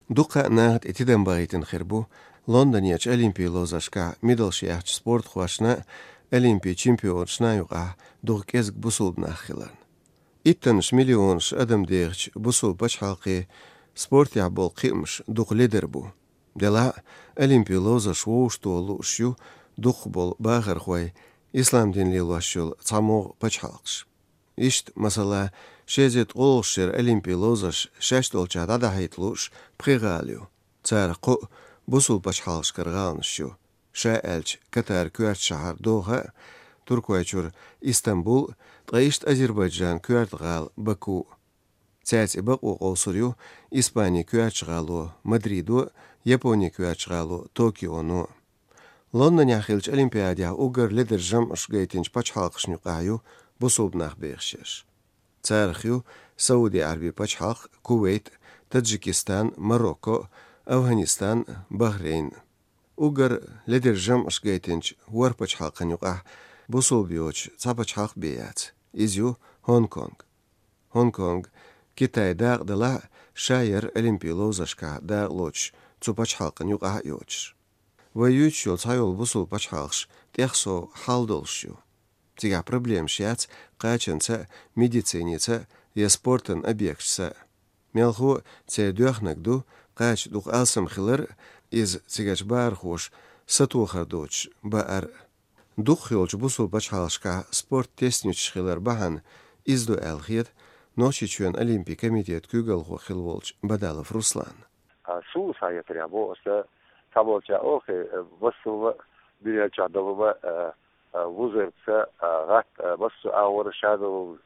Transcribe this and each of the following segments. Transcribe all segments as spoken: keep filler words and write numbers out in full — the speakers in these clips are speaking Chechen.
Дукха а наха тӀе тидам бахийтина хир бу Лондонерчу Олимпийн ловзаршкахь медалш яьхначу спортхошна а, Олимпийн чемпионашна а юкъахь дукха кӀезиг бусулба нах хиларна. Иттаннаш миллионаш адам дехачу бусулба пачхьалкхе спортехь болу кхиамаш дукха ледара бу. Делахь а, Олимпийн ловзарш вовшахтоха лууш ю дукхах болу бахархой, ислам дин лелош йолу цхьамогӀа пачхьалкхаш. Иштта, масала, ши эзар ткъолгӀачу шеран Олимпийн ловзарш шаьш долчохь дӀадахьийта лууш пхи гӀала ю. Царах кхоъ бусулба пачхьалкхашкара гӀаланаш ю. Ша аьлча, Катар коьртачу шахьар Доха а, Туркойчуьра Истамбул а, ткъа иштта Азербайджан коьрта гӀала Баку а. Цаьрца и бакъо къовсур ю Испанин коьртачу гӀало Мадридо а, Японин коьртачу гӀало Токионо а. Лондонехь хиллачу Олимпиадехь уггар ледара жамӀаш гайтинчу пачхьалкхашна юкъахь ю бусулба нах бехаш ерш. Царах ю Сауди-Ӏаьрбийн пачхьалкх, Кувейт, Таджикистан, Марокко, Афганистан, Бахрейн. Уггар ледара жамӀаш гайтинчу ворхӀ пачхьалкхана юкъахь бусулба йоцуш цхьа пачхьалкх бен яц. Иза ю Хонконг. Хонконг Китайн дакъа далахь а, ша яра Олимпийн ловзаршкахь дакъа лоцуш цу пачхьалкхана юкъахь а йоцуш. Вай юьйцуш йолу цхьайолу бусулба пачхьалкхаш тӀех сов хьал долуш ю. Цигахь проблемаш яц кхачанца а, медициница а я спортан объекташца а. Мелхо а церан доьхнарг ду кхача дукха алсам хилар а, иза цигарчу бахархоша сатохар доцуш баар а. Дукхах йолчу бусулба пачхьалкхашкахь спорт тесначаш хилар бахьана иза ду аьлла хета Нохчийчоьнан Олимпийн комитетан куьйгалхо хилла волчу Бадалов Русланна. А, суна схьахетарехь боху аса, цхьаболчара олу, э, массо а дуьнен чохь долу ма, э, э, вузарца, э, гӀатта, э, массо а агӀор шадолу,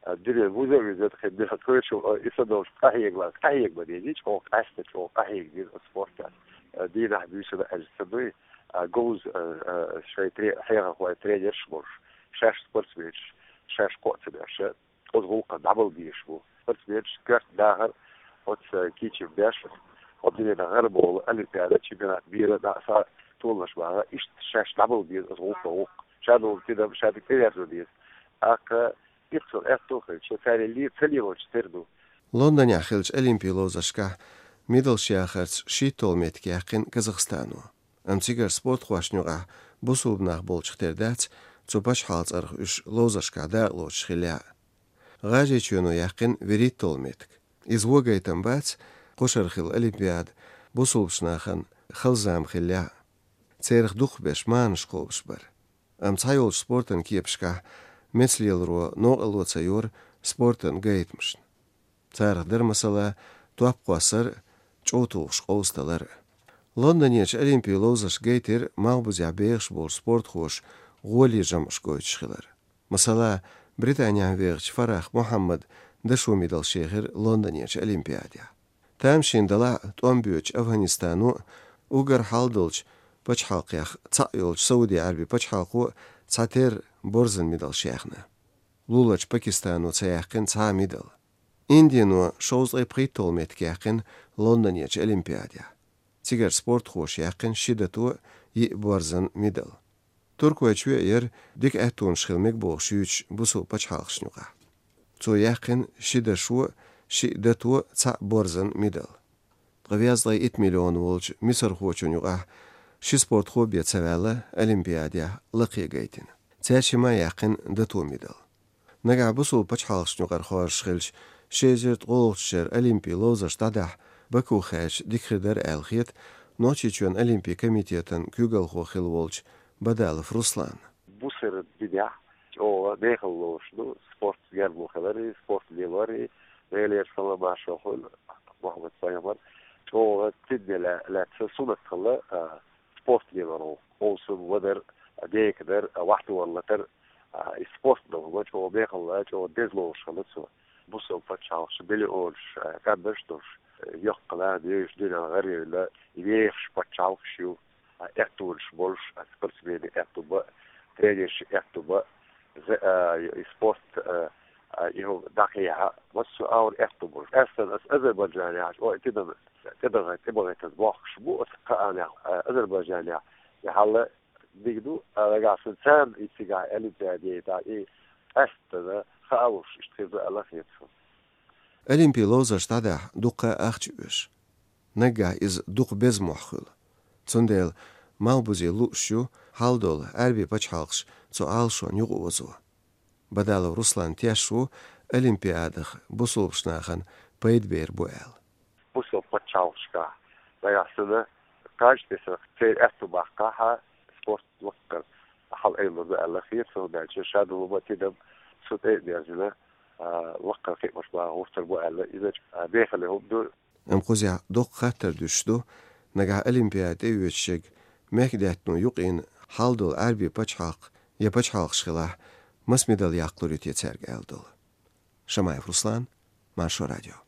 э, дуьнен вузар виза хир дира, тхоьшу, э, и са долуш къахьега, къахьега ма дезий, чӀогӀа къаьста, чӀогӀа къахьега деза спортехь. Э, дийнахь буьйсанна аьлча ца дуй, а, говза, э, э, шайн тре-, хьехархой тренерш а болуш, шаьш спортсменаш, шаьш кхоъ ца беш, оцу гӀуллакхна дӀабала безаш бу. Спортсменаш коьрта дахар оцу кийча беш, оцу динан гӀарабовла, олимпиада, чемпионат мира, дӀа а, са а толлаш бахьа, иштта шаьш дӀабала беза оцу гӀуллакхна гӀуллакх. Ша долу тидам ша дика тӀеверзо деза. ТӀаккха иццул аьтто а хилча, цара ле-, ца лелочу тера ду. Лондонехь хиллачу Олимпийн ловзаршкахь медалш яхарца шийтталгӀа меттиг яьккхина Казахстано. Амма цигара спортхошна юкъахь бусулба нах болчух тера дац, цу пачхьалкхан цӀарах уьш ловзаршкахь дакъа лоцуш хиллехь а. ГӀажарийчоьно яьккхина вуьрхӀитталгӀа меттиг. Иза вон гайтам бац, кхушара хилла Олимпиада бусулбачу нахана хала зама хиллехь а. Церах дукхахберш марханаш кхобуш бара. Амма цхьайолчу спортан кепашкахь мецалеларо новкъарло ца йора спортан гайтамашна. Царах дара, масала, топ кхоссар а, чӀов тухуш къовсадалар а. Лондонерчу Олимпийн ловзарш гайтира малхбузехь бехаш болчу спортхоша гӀоле жамӀаш гойтуш хилар. Масала, Британехь вехачу Фарах Мухьаммада дашо медалш яьхира Лондонерчу Олимпиадехь. Тамашийна далахь а, тӀом боьдучу Афганистано а, уггар хьал долчу пачхьалкхех цхьаъ йолчу Сауди-Ӏаьрбийн пачхьалкхо а цхьатерра борзан медалш яьхна. Луларчу Пакистано ца яьккхина цхьа а медал. Индино шовзткъе пхийтталгӀа меттиг яьккхина Лондонерчу Олимпиадехь. Цигара спортхоша яьккхина ши дато а, йиъ борзан медал. Туркойчоь а яра дика аьттонаш хила мега бохуш юьйцуш бусулба пачхьалкхашна юкъахь. Цо яьккхина ши дашо а, шиъ дато а, цхьаъ борзан медал. Ткъа везткъе итт миллион волчу мисархочунна юкъахь ши спортхо бен ца ваьлла Олимпиадехь лакхе гайтина. Цаьршимма яьккхина дато медал. Нагахь бусулба пачхьалкхашна юкъара хоржуш хилча, ши эзар ткъолгӀачу шеран Олимпийн ловзарш дӀадахьа Баку хаьржича дика хир дара аьлла хета Нохчийчоьнан Олимпийн комитетан куьйгалхо хилла волчу Бадалов Русланна. Бусалба динехь чӀогӀа мехала лоруш ду спорт гергарло хилар, спорт лелор, Делера салам-маршалла хуьлда Мухьаммад пайхамар, чӀогӀа цуьнан ла-, лаьцна суннат хилла, а, спорт лелор ву. Овсам вадар, а, дека дар, а, вахьтор латар, а, и спорт ду, вай чӀогӀа мехала, чӀогӀа деза лоруш хилла цо. Бусалба пачхьалкхаш миллионаш, а, къаьмнаш долуш, а, йоккха нах дезаш дуьненна гӀаравелла, и вехаш пачхьалкхаш ю. А, аьттонаш болуш, а, спортсменийн аьтту бан, тренершийн аьтту бан, за-, а, и спорт, а, а, и хӀума дӀакхехьа, массо а агӀор аьтту болуш. Ас санна ас Азербайджанехь, о, тӀедагӀа-, тӀедагӀа-, тӀебахийтина бохкуш бу ас кхаанехь, а, Азербайджанехь, и хьал дика ду, а, нагахь санна царна и цигахь Олимпиаде яйтахь, и къаьсттина хаалуш иштта хир ду аьлла хета суна. Олимпийн ловзарш дӀадахьа дуккха а ахча оьшу. наггахь иза дукха беза мохь хуьлу. Цундела малхбузе лууш ю хьал долу Ӏаьрбийн пачхьалкхаш цу Ӏалашонна юкъаозо. Бадалов Руслан тешна ву, Олимпиадах бусулбачу нахана пайда бер бу аьлла. Бусалба пачхьалкхашкахь нагахь санна кхаж тесарх церан аьтту баккхахьа, спорт лаккхара хьал айла ду аьлла хета, цо баьлча шадолу ма тидам цу тӀе а дерзина, а, лаккхара кхиамаш бан гӀуртар бу аьлла, иза а бехале хӀума ду. Амма кхузахь доккха хаттар дуьсуш ду, нагахь Олимпиада тӀеоьцуш ерг мехкдаьттано юкъийна хьал долу Ӏаьрбийн пачхьалкх я пачхьалкхаш хилахь, маса медаль яккхалур ю те цаьрга аьлла долу. Шамаев Руслан, Маршо радио.